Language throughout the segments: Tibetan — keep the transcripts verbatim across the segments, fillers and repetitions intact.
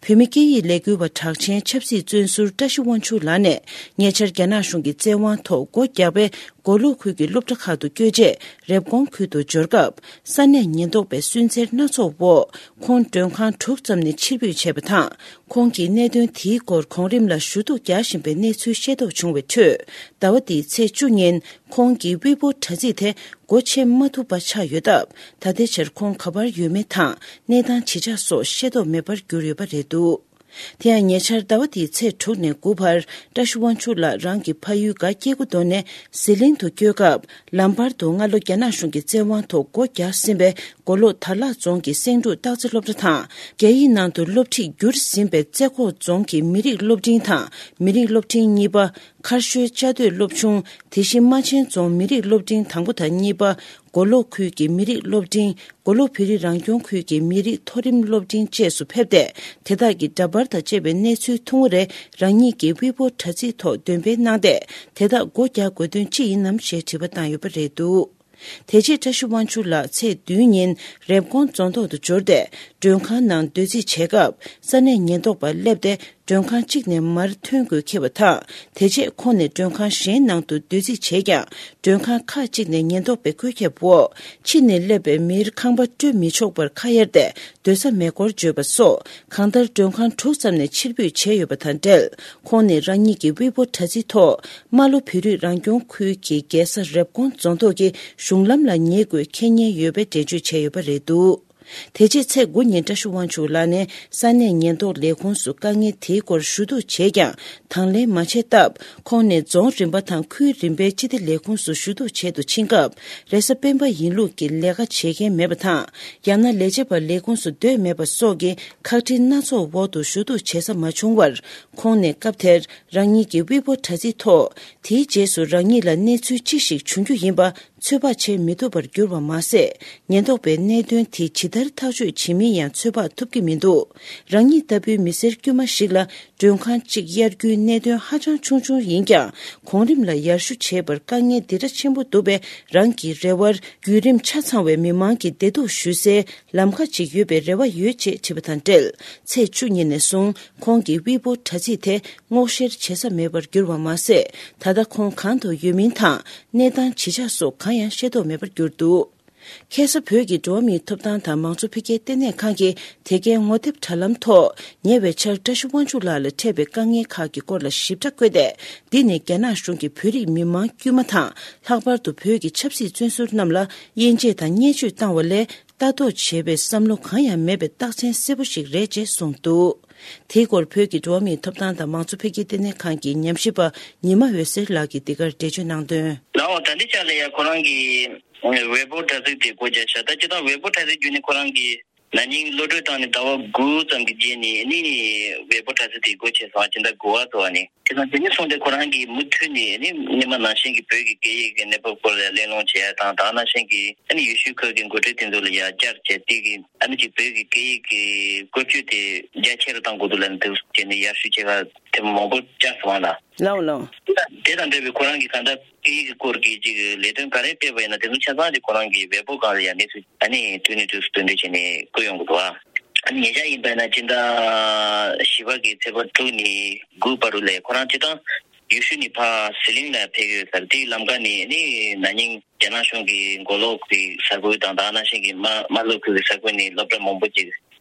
བོད་མི་སྐད་ཡིག་ལས་འགུལ་བ་གྲགས་ཆེན་ཆབ་སྲིད་བཙོན་ཟུར་བཀྲ་ཤིས་དབང་ཕྱུག་ལགས་ནས་ཉེ་ཆར་རྒྱ་ནག་གཞུང་གི་བཙན་དབང་ཐོག་སྒོ་རྒྱག་པའི་མགོ་ལོག་ཁུལ་གྱི་སློབ་གྲྭ་ཁག་ཏུ་བསྐྱོད་རྗེས་རེབ་གོང་ཁུལ་དུ་འབྱོར་སྐབས་ས་གནས་ཉེན་རྟོག་པའི་སུན་གཙེར་སྣ་ཚོགས་འོག་ཁོང་མགྲོན་ཁང་དྲུག་ཙམ་ནས་ཕྱིར་འབུད་བྱས་པ་དང་། ཁོང་གིས་གནད་དོན་དེའི་སྐོར་གོང་རིམ་ལ་ཞུ་གཏུག་རྒྱག་བཞིན་པའི་གནས་ཚུལ་ཤེས་རྟོགས་བྱུང་བའི་ཁྲོད། ཟླ་བ་འདིའི་ཚེས་བཅུ་ཉིན་ཁོང་གི་དབུལ་པོ་དྲ་ཚིགས་དེ་སྒོ་ཕྱེ་མ་ཐུབ་པ་ཆགས་ཡོད་སྟབས། ད་ལྟའི་ཆར་ཁོང་ག་པར་ཡོད་མེད་དང་གནས་སྟངས་ཇི་ཆགས་སོགས་ཤེས་རྟོགས་མེད་པར་གྱུར་ཡོད་པ་རེད་འདུག་དེ་ཡང་ཉེ་ཆར་ཟླ་བ་འདིའི་ཚེས་དྲུག་ནས་དགུ་བར་བཀྲ་ཤིས་དབང་ཕྱུག་ལགས་རང་གི་ཕ་ཡུལ་སྒ་སྐྱེ་རྒུ་མདོ་ནས་ཟི་ལིང་དུ་བསྐྱོད་སྐབས། ལམ་བར་དུ་སྔ་ལོ་རྒྱ་ནག་གཞུང་གི་བཙན་དབང་ཐོག་སྒོ་རྒྱག་ཟིན་པའི་མགོ་ལོག་དར་ལག་རྫོང་གི་སེང་འབྲུག་སྟག་རྩེ་སློབ་གྲྭ་དང་། རྒྱ་ཡིག་ནང་དུ་སློབ་ཁྲིད་བསྒྱུར་ཟིན་པའི་རྩེ་ཁོག་རྫོང་གི་མི་རིགས་སློབ་འབྲིང་དང་མི་རིགས་སློབ་འབྲིང་གཉིས་པ། མཁར་ཤོད་བཅའ་སྡོད་སློབ་ཆུང་། དེ་བཞིན་རྨ་ཆེན་རྫོང་མི་རིགས་སློབ་འབྲིང་དང་པོ་དང་གཉིས་པ། མགོ་ལོག་ཁུལ་གྱི་མི་རིགས་སློབ་འབྲིང་། མགོ་ལོག་བོད་རིགས་རང་སྐྱོང་ཁུལ་གྱི་མི་རིགས་མཐོ་རིམ་སློབ་འབྲིང་བཅས་སུ་ཕེབས་ཏེ། དེ་དག་གི་འདྲ་པར་དང་བཅས་པའི་གནས་ཚུལ་ཐུང་ངུ་རེ་རང་ཉིད་ཀྱི་དབུལ་པོ་དྲ་ཚིགས་ཐོག་འདོན་སྤེལ་གནང་སྟེ། དེ་དག་སྒོ་རྒྱག་དགོས་དོན་ཅི་ཡིན་ནམ་ཞེས་དྲི་བ་བཏང་ཡོད་པ་རེད་འདུག་དེ་རྗེས་བཀྲ་ཤིས་དབང་ཕྱུག་ལགས་ཚེས་བདུན་ཉིན་རེབ་གོང་རྫོང་ཐོག་ཏུ་འབྱོར་ཏེ། མགྲོན་ཁང་ནང་སྡོད་རྩིས་བྱེད་སྐབས། ས་གནས་ཉེན་རྟོག་པ་སླེབས་ཏེ། མགྲོན་ཁང་གཅིག་ནས་མར་ཐོན་དགོས་འཁེལ་བ་དང་། དེ་རྗེས་ཁོང་ནས་མགྲོན་ཁང་གཞན་ནང་དུ་སྡོད་རྩིས་བྱས་ཀྱང་། མགྲོན་ཁང་ཁག་ཅིག་ནས་ཉེན་རྟོག་པས་བཀོད་ཁྱབ་འོག་ཕྱི་ནས་སླེབས་པའི་མིར་ཁང་པ་སྤྲོད་མི་ཆོག་པར་ཁ་གཡར་ཏེ། སྡོད་ས་མེད་སྐོར་བརྗོད་པ་སོགས། གང་ལྟར་མགྲོན་ཁང་དྲུག་ཙམ་ནས་ཕྱིར་འབུད་བྱས་ཡོད་པ་དང་འབྲེལ། ཁོང་ནས་རང་ཉིད་ཀྱི་དབུལ་པོ་དྲ་ཚིགས་ཐོག་རྨ་ལྷོ་བོད་རིགས་རང་སྐྱོང་ཁུལ་གྱི་རྒྱལ་ས་རེབ་གོང་རྫོང་ཐོག་གི་གཞུང་ལམ་ལ་ཉེ་དགོས་འཁེལ་ཉེན་ཡོད་པའི་འགྲེལ་བརྗོད་བྱས་ཡོད་པ་རེད་འདུག་དེ་རྗེས་ཚེས་དགུ་ཉིན་བཀྲ་ཤིས་དབང་ཕྱུག་ལགས་ནས་ས་གནས་ཉེན་རྟོག་ལས་ཁུངས་སུ་དཀའ་ངལ་དེའི་སྐོར་ཞུ་གཏུག་བྱས་ཀྱང་དང་ལེན་མ་བྱས་སྟབས། ཁོང་ནས་རྫོང་རིམ་པ་དང་ཁུལ་རིམ་པའི་སྤྱི་བདེ་ལས་ཁུངས་སུ་ཞུ་གཏུག་བྱེད་དུ་ཕྱིན་སྐབས། རེས་གཟའ་སྤེན་པ་ཡིན་ལུགས་ཀྱི་ལས་ཀ་བྱེད་མཁན་མེད་པ་དང་། ཡང་ན་ལས་བྱེད་པ་ལས་ཁུངས་སུ་སྡོད་མེད་པ་སོགས་ཀྱི་ཁག་དཀྲི་སྣ་ཚོགས་འོག་ཏུ་ཞུ་གཏུག་བྱེད་ས་མ་བྱུང་བར། ཁོང་ནས་སྐབས་དེར་རང་ཉིད་ཀྱི་དབུལ་པོ་དྲ་ཚིགས་ཐོག་དེའི་རྗེས་སུ་རང་ཉིད་ལ་གནས་ཚུལ་ཅི་ཞིག་བྱུང་རྒྱུ་ཡིན་པ། ཚོད་དཔག་བྱེད་མི་ཐུབ་པར་གྱུར་བ་མ་ཟད། ཉེན་རྟོག་པས་གནད་དོན་དེ་ཇི་ལྟར་ཐག་གཅོད་བྱེད་མིན་ཡང་ཚོད་དཔག་ཐུབ་ཀྱི་མི་འདུག་རང་ཉིད་ལྟ་བུའི་མི་སེར་དཀྱུས་མ་ཞིག་ལ་མགྲོན་ཁང་གཅིག་གཡར་རྒྱུའི་གནད་དོན་ཧ་ཅང་ཆུང་ཆུང་ཡིན་ཀྱང་། གོང་རིམ་ལ་ཡར་ཞུ་བྱེད་པར་དཀའ་ངལ་འདི་འདྲ་ཆེན་པོ་འདུག་པས། རང་གི་རེ་བར་བརྒྱུད་རིམ་ཆ་ཚང་བའི་མི་མང་གི་བདེ་སྡུག་ཞུ་སའི་ལམ་ཁ་ཅིག་ཡོད་པའི་རེ་བ་ཡོད་ཅེས་དྲིས་པ་དང་འབྲེལ། ཚེས་བཅུ་ཉིན་ནས་བཟུང་ཁོང་གི་དབུལ་པོ་དྲ་ཚིགས་དེ་སྔོག་བཤེར་བྱེད་ས་མེད་པར་གྱུར་བ་མ་ཟད། ད་ལྟ་ཁོང་གང་དུ་ཡོད་མིན་དང་། གནས་སྟངས་ཇི་ཆགས་སོགས་གང་ཡང་ཤེས་རྟོགས་མེད་པར་གྱུར་འདུག་ཁ་སང་བོད་ཀྱི་འགྲོ་བ་མིའི་ཐོབ་ཐང་དང་མང་གཙོ་འཕེལ་རྒྱས་ལྟེ་གནས་ཁང་གིས་དེ་གའི་ངོ་དེབ་དྲ་ལམ་ཐོག་ཉེ་བའི་ཆར་བཀྲ་ཤིས་དབང་ཕྱུག་ལགས་ལ་འཕྲད་པའི་དཀའ་ངལ་ཁག་གི་སྐོར་ལ་ཞིབ་ཕྲ་བཀོད་དེ། འདི་ནི་རྒྱ་ནག་གཞུང་གིས་བོད་རིགས་མི་མང་དཀྱུས་མ་དང་། ལྷག་པར་དུ་བོད་ཀྱི་ཆབ་སྲིད་བཙོན་ཟུར་རྣམས་ལ་དབྱེ་འབྱེད་དང་བརྙས་བཅོས་བཏང་བ་ལས། ལྟ་རྟོག་བྱེད་པའི་བསམ་བློ་གང་ཡང་མེད་པའི་རྟགས་མཚན་གསལ་པོ་ཞིག་རེད་ཅེས་གསུངས་འདུག་དེའི་སྐོར་བོད་ཀྱི་འགྲོ་བ་མིའི་ཐོབ་ཐང་དང་མང་གཙོ་འཕེལ་རྒྱས་ལྟེ་གནས་ཁང་གི་ཉམས་ཞིབ་པ་ཉི་མ་འོད་ཟེར་ལགས་ཀྱིས་འདི་གར་འགྲེལ་བརྗོད་གནང་དོན། ལའོ་ད་འདི་ཆ་ལ་ཡ་ཁོ་རང་གི་ཝེ་པོ་དྲ་ཚིགས་དེ་སྒོ་རྒྱག་ཤག་ད་སྤྱིར་བཏང་ཝེ་པོ་དྲ་ཚིགས་བརྒྱུད་ནས་ཁོ་རང་གི་ན་ནིང་གློད་གྲོལ་བཏང་ནས་ཟླ་བ་དགུ་ཙམ་གྱི་རྗེས་ནས་ནི་ཝེ་པོ་དྲ་ཚིགས་དེ་སྒོ་ཕྱེ་སོང་། སྤྱི་ཟླ་དགུ་པ་ཚོ་བ་ནས་དེ་དང་དེ་ནས་བཟུང་སྟེ་ཁོ་རང་གིས་མུ་མཐུད་ནས་ནི་སྔོན་མ་ནང་བཞིན་གྱི་བོད་ཀྱི་སྐད་ཡིག་གི་གནས་བབ་སྐོར་ལ་གླེང་སློང་བྱེད་ཡ་དང་། ད་ནང་བཞིན་གྱི་ཨ་ནི་ཡུལ་ཤུལ་ཁག་གི་འགོ་ཁྲིད་དེ་ཚོ་ལ་ཡ་བཅར་བྱས་དེ་གི་ཨ་ནི་ཅིག་བོད་ཀྱི་སྐད་ཡིག་གི་བཀོལ་སྤྱོད་དེ་རྒྱ་ཆེ་རུ་གཏང་དགོས་འདུག་ལབ་ནས་དེ་བྱས་ནས་ཡར་ཞུ་བྱེད་ག་ཐེངས་མང་པོ་བཅར་སོང་ལ། ལའོ་ལའོ། དེ་དང་འབྲེལ་བའི་ཁོ་རང་གིས་གང་ལྟར་སྐད་ཡིག་གི་སྐོར་གྱི་ཅིག་ལས་དོན་ག་རེ་སྤེལ་བ་ཡིན་ན་དེ་ཚོ་ཆ་ཚང་དེ་ཁོ་རང་གིས་ཝེ་པོ་སྒང་ལ་ཡང་གནས་ཚུལ་ཨ་ནི་དུས་ནས་དུས་སུ་སྟོན་སྤྲོད་བྱས་ནས་བཀོད་ཡོང་གི་འདུག་ཨ། ཨ་ནི་ཉེ་ཆར་ཡིན་པ་ན་སྤྱི་ཟླ་བཞི་པ་གི་ཚེས་པ་དྲུག་ནས་དགུ་བར་དུ་ལས་ཁོ་རང་སྤྱིར་བཏང་ཡུལ་ཤུལ་ནས་ཕར་ཟི་ལིང་ལ་ཕེབས་ཡོད་ཟེར། དེའི་ལམ་ཁ་ནས་ནི་ན་ནིང་རྒྱ་ནག་གཞུང་གིས་མགོ་ལོག་གི་ས་ཁུལ་དང་ད་ནང་བཞིན་གྱི་རྨ་རྨ་ལྷོ་ཁུལ་གྱི་ས་ཁུལ་ནས་སློབ་གྲྭ་མང་པོ་ཅིག་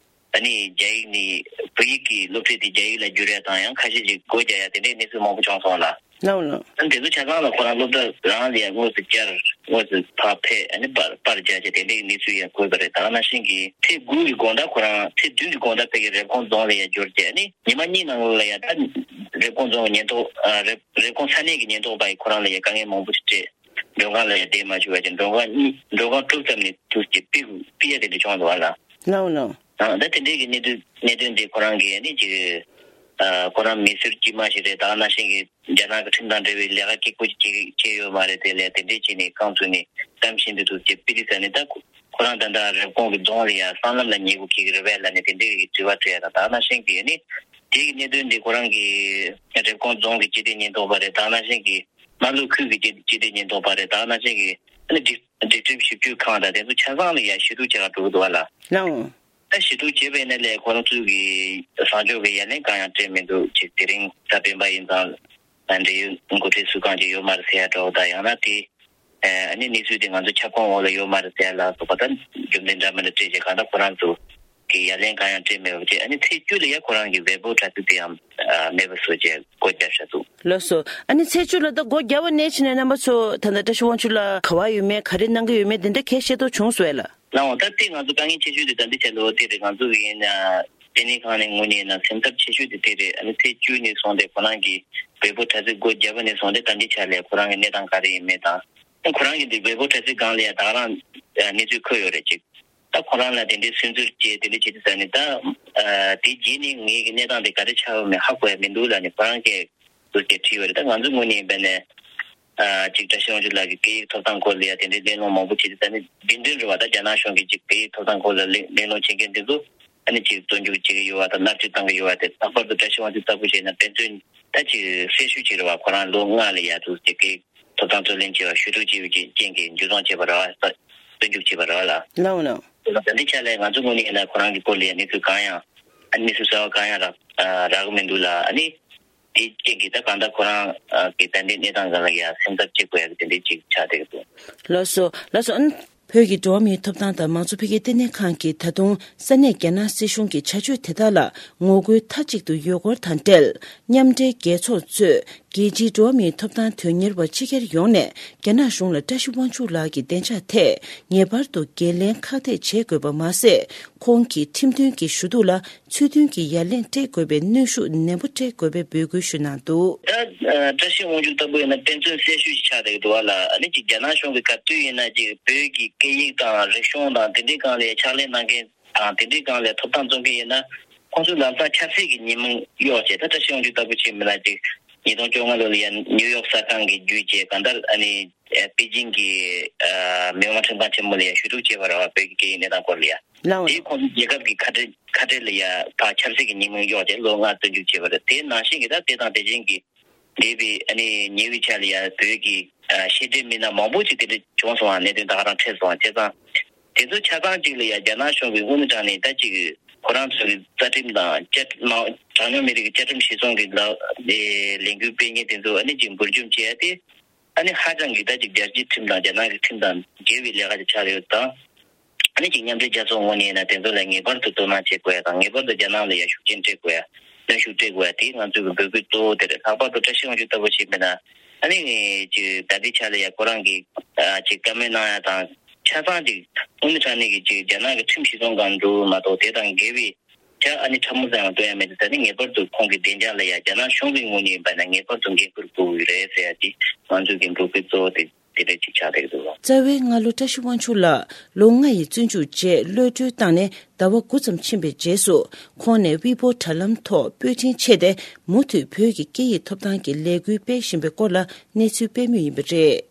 ཨ་ནི་རྒྱ་ཡིག་ནས་བོད་ཡིག་གི་སློབ་ཁྲིད་དེ་རྒྱ་ཡིག་ལ་བསྒྱུར་ཡ་དང་ཡང་ཁ་ཤས་ཅིག་སྒོ་རྒྱག་ཡ་དེ་འདྲའི་གནས་ཚུལ་མང་པོ་བྱུང་སོང་ལ། ལའོ་ལའོ། ཨ་ནི་དེ་ཚོ་ཆ་ཚང་ལ་ཁོ་རང་སློབ་གྲྭ་རང་ལ་ཡང་དངོས་སུ་བཅར། དངོས་སུ་ཕར་ཕེབས། ཨ་ནི་པར་པར་རྒྱག་བྱས་དེ་འདྲའི་གནས་ཚུལ་ཡང་འགོད་པ་རེད། ད་ག་ནང་བཞིན་གྱི་ཚེས་དགུ་གི་དགོང་དག་ཁོ་རང་ཚེས་བདུན་གྱི་དགོང་དག་ཕ་གི་རེབ་གོང་རྫོང་ལ་ཡང་འབྱོར་རྗེས་ཨ་ནི་ཉི་མ་གཉིས་ནང་ལ་ཡང་ད་རེབ་གོང་རྫོང་གི་ཉེན་རྟོག་ཨ་རེབ་རེབ་གོང་ས་གནས་ཀྱི་ཉེན་རྟོག་པ་ཡིས་ཁོ་རང་ལ་ཡང་དཀའ་ངལ་མང་པོ་ཞིག་སྤྲད། མགྲོན་ཁང་ལ་ཡང་བསྡད་མ་བཅུག་པ་བྱས་མགྲོན་ཁང་གཉིས་མགྲོན་ཁང་དྲུག་ཙམ་ནས་དུས་ཀྱི་ཕུད་ཕུད་ཡ་དེ་འདྲ་བྱུང་འདུག་བ་ལ། ལའོ་ལའོ། ཨ་ད་དེ་འདྲའི་གི་གནད་དོན་གནད་དོན་དེ་ཁོ་རང་གི་ཨ་ནི་ཅིག་ཨ་ཁོ་རང་མི་སེར་དཀྱུས་མ་ཞིག་རེད། ད་ག་ནང་བཞིན་གྱི་རྒྱ་ནག་གི་ཁྲིམས་དང་འབྲེལ་བའི་ལས་ཀ་སྐྱིད་པོ་ཅིག་བྱས་ཡོད་མ་རེད། དེ་ལས་དེ་འདྲས་བྱས་ནས་རྐང་བཙུགས་ནས་གཏམ་བཤད་འདི་ཚོ་བྱས་པི་ཏི་ཟེར་ནས་ད་ཁོ་ཁོ་རང་ད་ལྟ་རེབ་གོང་གི་རྫོང་ལ་ཡ་སྲང་ལམ་ལ་ཉལ་དགོས་ཀྱི་རེད་པས་ལབ་ནས་དེ་འདྲས་ཀྱི་དྲི་བ་དྲིས་ཡ་དང་། ད་ག་ནང་བཞིན་གྱི་ཨ་ནི་དེ་གི་གནད་དོན་འདི་ཁོ་རང་གི་རེབ་གོང་རྫོང་གི་སྤྱི་བདེ་ཉེན་རྟོག་པ་རེད། ད་ག་ནང་བཞིན་གྱི་རྨ་ལྷོ་ཁུལ་གྱི་སྤྱི་སྤྱི་བདེ་ཉེན་རྟོག་པ་རེད། ད་ག་ནང་བཞིན་གྱི་ཨ་ནི་སྒྲིག་སྒྲིག་ཁྲིམས་ཞིབ་དཔྱོད་ཁང་དང་དེ་ཚོ་ཆ་ཚང་ལ་ཡ་ཞུ་གཏུག་བྱེད་ག་འགྲོ་གི་འདུག་བ་ལ། ལའོ། ད་ཞུ་གཏུག་བྱས་པ་ཡིན་ན་ལས་ཁོ་རང་ཚོའི་གི་བཟང་ཕྱོགས་ཀྱི་ཡ་ལན་གང་ཡང་སྤྲད་མི་འདུག་ཅིག་དེ་རིང་གཟའ་སྤེན་པ་ཡིན་ཙང་ད་འབྲེལ་ཡོད་འགོ་ཁྲིད་སུ་གང་ཅིག་ཡོད་མ་རེད་ཟེར་ཡ་འདྲ་བོ་དང་། ཡང་ན་དེ་ཨ་ནི་གནས་ཚུལ་དེ་ང་ཚོ་ཁྱབ་ཁོངས་འོག་ལ་ཡོད་མ་རེད་ཟེར་ཡ་ལ་སོགས་པ་ད་རྒྱུ་མཚན་འདྲ་མི་འདྲ་སྤྲད་བྱས་གང་ལྟར་ཁོ་རང་ཚོ་གི་ཡ་ལན་གང་ཡང་སྤྲད་མེད་པ་བྱས། ཨ་ནི་ཚེས་བཅུ་ལ་ཡ་ཁོ་རང་གི་ཝེ་པོ་དྲ་ཚིགས་དེ་ཡང་མེད་པ་བཟོ་བྱས་སྒོ་བརྒྱབ་བཞག་འདུག་ལགས་སོ། ཨ་ནི་ཚེས་བཅུ་ལ་ད་སྒོ་བརྒྱབ་པ་ནས་ཕྱིན་ནས་རྣམ་པ་ཚོ་ད་ལྟ་བཀྲ་ཤིས་དབང་ཕྱུག་ལགས་ག་པར་ཡོད་མེད་ག་རེ་གནང་གི་ཡོད་མེད་དེ་འདྲ་གས་ཤེས་རྟོགས་བྱུང་སོང་ལ། ལའང་ད་ལྟའི་ང་ཚོ་དཀའ་ངལ་ཆེ་ཤོས་དེ་ད་ལྟའི་ཆ་ལ་འོ་དེ་རེད། ང་ཚོ་གི་ཡིན་ན་ལྟེ་གནས་ཁང་ནས་ངོས་ནས་ཡིན་ན་སེམས་འཚབ་ཆེ་ཤོས་དེ་དེ་རེད། ཨ་ནི་ཚེས་བཅུ་ནས་བཟུང་སྟེ་ཁོ་རང་གི་ཝེ་པོ་དྲ་ཚིགས་སྒོ་བརྒྱབ་པ་ནས་བཟུང་སྟེ་ད་ལྟའི་ཆ་ལ་ཁོ་རང་གི་གནས་སྟངས་ག་རེ་ཡིན་མེད་དང་། ཁོ་རང་གི་འདི་ཝེ་པོ་དྲ་ཚིགས་སྒང་ལ་ཡང་ད་ག་རང་གནས་ཚུལ་འཁོད་ཡོད་རེད་ཅིག་ད་ཁོ་རང་ལ་དེ་འདྲའི་སུན་གཙེར་བྱས་དེ་འདྲ་བྱེད་དུས་ཙ་ནས་ད་དེ་རྗེས་ནས་ངེད་ཀྱི་གནས་སྟངས་དེ་ག་རེ་ཆགས་ཡོད་མེད་ཧ་གོ་ཡ་མི་འདུག་ལབ་ནས་ཁོ་རང་གིས་ཟུར་གྱིས་བྲིས་ཡོད་རེད། ད་ང་ཚོའི་ངོས་ནས་ཡིན་པ་ནས། ཨ་ཅིག་བཀྲ་ཤིས་དབང་ཕྱུག་ལགས་ཀྱི་སྐད་ཡིག་ཐོབ་ཐང་སྐོར་ལ་ཡ་དེ་འདྲའི་གླེང་སློང་མང་པོ་བྱེད་དུས་ཙ་ནས་རྒྱུན་ལྡན་རེད་བ། ད་རྒྱ་ནག་གཞུང་གིས་ཅིག་སྐད་ཡིག་ཐོབ་ཐང་སྐོར་ལ་གླེང་གླེང་སློང་བྱེད་མཁན་དེ་ཚོ་ཨ་ནི་ཅིག་བཙོན་འཇུག་བྱེད་ཀྱི་ཡོད་བ་དང་མནར་གཅོད་བཏང་གི་ཡོད་བ། དེ་ལྷག་པར་དུ་བཀྲ་ཤིས་དབང་ཕྱུག་ལྟ་བུ་བྱས་ན་དཔེ་མཚོན་ད་ཅིག་གསལ་ཤོས་ཅིག་རེད་བ། ཁོ་རང་ལོ་ལྔ་ལ་ཡ་འདུག་ཅིག་སྐད་ཡིག་ཐོབ་ཐང་རྩོད་ལེན་བྱས་པ་ཞུ་གཏུག་བྱས་པའི་རྐྱེན་གྱིས་འཇུ་བཟུང་བྱས་པ་རེད་བ། བཙོན་འཇུག་བྱས་པ་རེད་བ་ལ། ལའོ་ལའོ། ད་ལྟའི་ཆ་ལ་ང་ཚོ་ངོས་ནས་ཡིན་ན་ཁོ་རང་གི་སྐོར་ལ་ཡ་གནས་ཚུལ་གང་ཡང་ཨ་ནི་གནས་ཚུལ་གསར་བ་གང་ཡང་རག་རག་གི་མི་འདུག་ལ། ཨ་ནི། དེའི་རྐྱེན་གྱིས་ད་གང་ལྟར་ཁོ་རང་གི་ད་ལྟའི་གནས་སྟངས་སྒང་ལ་ཡང་སེམས་འཚབ་བྱེད་དགོས་ཡག་གི་དེ་འདྲའི་ཅིག་ཆགས་བསྡད་ཀྱི་འདུག་ལགས་སོ། ལགས་སོ། ཨ་ནི་བོད་ཀྱི་འགྲོ་བ་མིའི་ཐོབ་ཐང་དང་མང་གཙོ་འཕེལ་རྒྱས་ལྟེ་གནས་ཁང་གིས་ད་དུང་ས་གནས་རྒྱ་ནག་སྲིད་གཞུང་གི་བྱ་སྤྱོད་དེ་དག་ལ་ངོ་རྒོལ་མཐའ་གཅིག་ཏུ་ཡོད་སྐོར་དང་འབྲེལ། མཉམ་འབྲེལ་རྒྱལ་ཚོགས་གཙོས་རྒྱལ་སྤྱིའི་འགྲོ་བ་མིའི་ཐོབ་ཐང་དོན་གཉེར་བ་སྤྱི་སྒེར་ཡོངས་ནས་རྒྱ་ནག་གཞུང་ལ་བཀྲ་ཤིས་དབང་ཕྱུག་ལགས་ཀྱི་བདེ་འཇགས་ཐད་ངེས་པར་དུ་འགན་ལེན་ཁག་ཐེག་བྱེད་དགོས་པ་མ་ཟད། ཁོང་གི་ཁྲིམས་མཐུན་གྱི་ཞུ་གཏུག་ལ། ཚུལ་མཐུན་གྱི་ཡ་ལན་སྤྲད་དགོས་པའི་གནོན་ཤུགས་ནན་པོ་སྤྲད་དགོས་པའི་འབོད་སྐུལ་ཞུ་གནང་འདུག་ད་ཨ་བཀྲ་ཤིས་དབང་ཕྱུག་ལྟ་བུ་ཡིན་ན་དཔེ་མཚོན་གསལ་ཤོས་ཤིག་ཆགས་བསྡད་འདུག་བ་ལ། ཨ་ནི་ཅིག་རྒྱ་ནག་གཞུང་གིས་ག་དུས་ཡིན་ན་ཅིག་བོད་ཀྱི་སྐད་ཡིག་དང་རིག་གཞུང་དང་དེ་འདྲའི་སྒང་ལ་ཕྱག་ལས་གནང་མཁན་དང་དེ་འདྲའི་སྒང་ལ་ཐོབ་ཐང་རྩོད་མཁན་ཡིན་ན་ཁོང་ཚོས་ལམ་སང་ཆབ་སྲིད་ཀྱི་ཉེས་མིང་གཡོགས་བྱས། ད་བཀྲ་ཤིས་དབང་ཕྱུག་ལྟ་བུ་ཅིག་མིན་ན་ཅིག་ཉིས་སྟོང་བཅོ་ལྔ་ལོ་ལ་ཡ་ནིའུ་ཡོག་གསར་ཁང་གིས་བརྒྱུད་བྱས་གང་ལྟར་ཨ་ནི་པེ་ཅིང་གི་ཨ་མི་དམངས་ཁྲིམས་ཁང་ཆེན་མོ་ལ་ཡ་ཞུ་གཏུག་བྱས་པ་རེད་བ། བོད་ཀྱི་སྐད་ཡིག་གནས་སྟངས་སྐོར་ལ་ཡ། ལའོ། དེས་ཁོང་ཚོ་རྒྱལ་ཁབ་ཀྱི་ཁ་བྲལ་ཁ་བྲལ་ལ་ཡ་ཕར་ཆབ་སྲིད་ཀྱི་ཉེས་མིང་གཡོགས་བྱས་ལོ་ལྔ་བཙོན་འཇུག་བྱས་པ་རེད། དེ་ནང་བཞིན་གྱི་ད་དེ་དང་དེ་བཞིན་གྱི་འདས་པའི་ཨ་ནི་ཉེ་བའི་ཆར་ལ་ཡ་བོད་ཀྱི་ཨ་བཤད་གྲྭའི་མི་སྣ་མང་པོ་ཅིག་དེ་འདྲ་བྱུང་སོང་བ། གནད་དོན་ད་ག་རང་འཕྲད་སོང་བ། བྱས་ཙང་དེ་ཚོ་ཆ་ཚང་གཅིག་ལ་ཡ་རྒྱ་ནག་གཞུང་གིས་དངོས་གནས་དྲང་གནས་ད་ཅིག་ཁོ་རང་ཚོ་གི་རྩ་ཁྲིམས་དང་བཅའ་ཁྲིམས་དྲང་སྙོམས་མི་རིགས་ཀྱི་བཅའ་ཁྲིམས་གཞིར་བཟུང་གི་ལ་ལས་འགུལ་སྤེལ་མཁན་དེ་ཚོ་ཨ་ནི་ཅིག་འབུར་འཇོམས་བྱས་ཏེ། ཨ་ནི་ཧ་ཅང་གི་ད་ཅིག་རྒྱལ་སྤྱིའི་ཁྲིམས་དང་རྒྱ་ནག་གི་ཁྲིམས་དང་འགལ་བའི་ལས་ཀ་ཅིག་ཆགས་ཡོད་དང་། ཨ་ནི་ཅིག་མཉམ་འབྲེལ་རྒྱལ་ཚོགས་ངོས་ནས་ཡིན་ན་དེ་ཚོ་ལ་ངེས་པར་དུ་དོ་སྣང་བྱེད་དགོས་ཡ་དང་། ངེས་པར་དུ་རྒྱ་ནག་ལ་ཡ་ཤུགས་རྐྱེན་སྤྲད་དགོས་ཡ། གནོན་ཤུགས་སྤྲད་དགོས་ཡ་དེ་ང་ཚོའི་གི་འབོད་སྐུལ་གཙོ་བོ་དེ་རེད། ལྷག་པར་དུ་བཀྲ་ཤིས་དབང་ཕྱུག་ལྟ་བུ་ཞིག་མིན་ན་ཨ་ནི་ཅིག་ད་ལྟའི་ཆ་ལ་ཡ་ཁོ་རང་གི་ཨ་ཅིག་བཀའ་མོལ་གནང་ཡ་དང་ཆ་ཚང་ཅིག་དངོས་གནས་དྲང་གནས་ཀྱི་ཅིག་རྒྱ་ནག་གི་ཁྲིམས་གཞི་བཟུང་སྒང་འགྲོ་མ་གཏོགས་དེ་དང་འགལ་བའི། ཆ་ཨ་ནི་ཕྲ་མོ་ཙམ་ཡང་སྟོན་ཡ་མེད་དེ། ད་ནི་ངེས་པར་དུ་ཁོང་གི་བདེ་འཇགས་ལ་ཡ་རྒྱ་ནག་གཞུང་གི་ངོས་ནས་ཡིན་པ་ན་ངེས་པར་དུ་འགན་འཁུར་དགོས་ཀྱི་རེད་ཟེར་ཡ་དེ་ང་ཚོའི་འགན་འཁུར་གྱི་གཙོ་བོ་དེ་དེ་འདྲ་ཅིག་ཆགས་བསྡད་ཀྱི་འདུག་ལ། རྩ་བའི་སྔ་ལོ་བཀྲ་ཤིས་དབང་ཕྱུག་ལགས་ལོ་ལྔ་ཡི་བཙོན་འཇུག་རྗེས་གློད་གྲོལ་བཏང་ནས་ཟླ་བ་དགུ་ཙམ་ཕྱིན་པའི་རྗེས་སུ་ཁོང་ནས་ཝི་པོ་དྲ་ལམ་ཐོག་པོད་འཕྲིན་ཆད་དེ་མུ་མཐུད་བོད་ཀྱི་སྐད་ཡིག་ཐོབ་ཐང་གི་ལས་འགུལ་སྤེལ་བཞིན་པའི་སྐོར་ལ་གནས་ཚུལ་སྤེལ་མུས་ཡིན་པ་རེད།